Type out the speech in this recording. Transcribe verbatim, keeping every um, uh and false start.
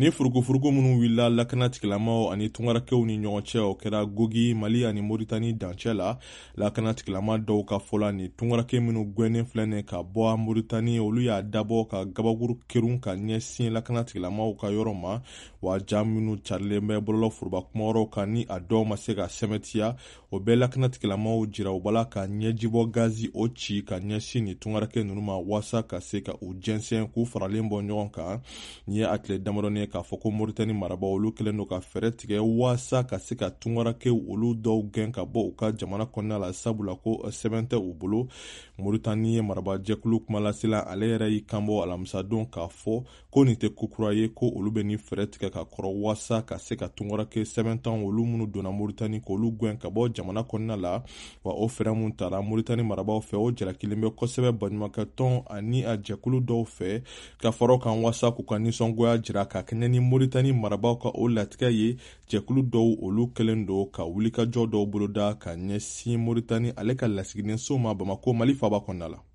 Ni furukufuruku minnu wulila lakana tigilamaw ani tungarankew ni ɲɔgɔn cɛ, o kɛra Gogi, Mali ani Moritani dancɛ la. Lakana tigilama dɔw ka fɔ la, ni tungaranke minnu gɛnnen filɛ nin ka bɔ Moritani, olu y'a dabɔ ka gabakuru kerun ka ɲɛsin lakana tigilamaw ka yɔrɔ ma. Wa ja minnu carilen bɛ bɔlɔlɔ foroba kumayɔrɔw kan, ni a dɔw ma se ka sɛmɛtiya, o bɛɛ lakana tigilamaw jira u bala ka ɲɛjibɔ gazi o ci ka ɲɛsin ni tungaranke ninnu ma, waasa ka se ka u jɛnsɛn k'u faralen bɔ ɲɔgɔn kan. Nin ye a tile damadɔni ye k'a fɔ ko Moritani marabaw, olu kɛlen don ka fɛɛrɛ tigɛ waasa ka se ka tungarankew olu dɔw gɛn ka bɔ u ka jamana kɔnɔna la, sabula ko sɛbɛn tɛ u bolo. Moritani ye marabajɛkulu kumalasela, ale yɛrɛ y'i kanbɔ alamisadon k'a fɔ ko nin tɛ ko kura ye, ko olu bɛ nin fɛɛrɛ tigɛ ka kɔrɔ waasa ka se ka tungaranke sɛbɛntan olu minnu donna Moritani k'olu gɛn ka bɔ jamana kɔnɔna la. Wa o fɛɛrɛ mun tara Moritani marabaw fɛ, o jalakilen bɛ kosɛbɛ baɲumankɛ tɔn ani a jɛkulu dɔw fɛ, ka fara o kan waasa k'u ka nisɔngoya jira ka kɛɲɛ ni Moritani marabaw ka o latigɛ ye. Jɛkulu dɔw, olu kɛlen don ka wulikajɔ dɔw boloda ka ɲɛsin Moritani ale ka lasigidenso ma Bamako, Mali faaba kɔnɔna la.